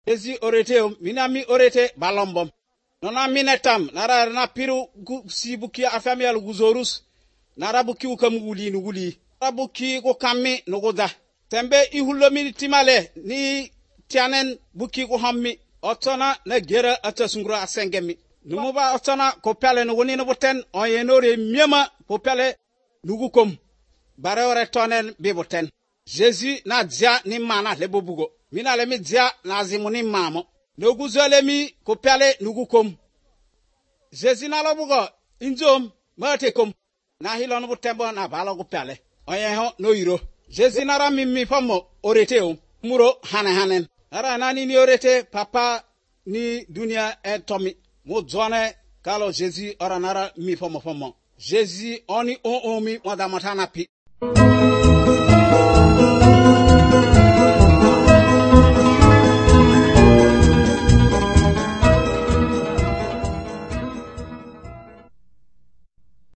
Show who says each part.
Speaker 1: Jésus orete minami orete balombom. Nona minetam nara na piru si buki afami al guzorus nara buki ukam wuli nara buki ko kammi nuguda tembe ihulomi timale ni tianen buki ko hammi otona na gera atasungura asengemi numuba otona ko pele no woni no boten oyenore miema ko pele nugukom barewre tonen biboten Jésus na dia ni mana lebobugo mina le mi dia na zimuni mamo noguzole mi ko pele nugukom Jésus na lobugo injom matekom na hilon butembo na balo pele oyeho no iro Jésus na ramimi famo orete muro hanen ara nani ni orete papa ni dunia etomi mo zone kalo Jésus ora nara mi famo Jésus oni o mi madamata na pi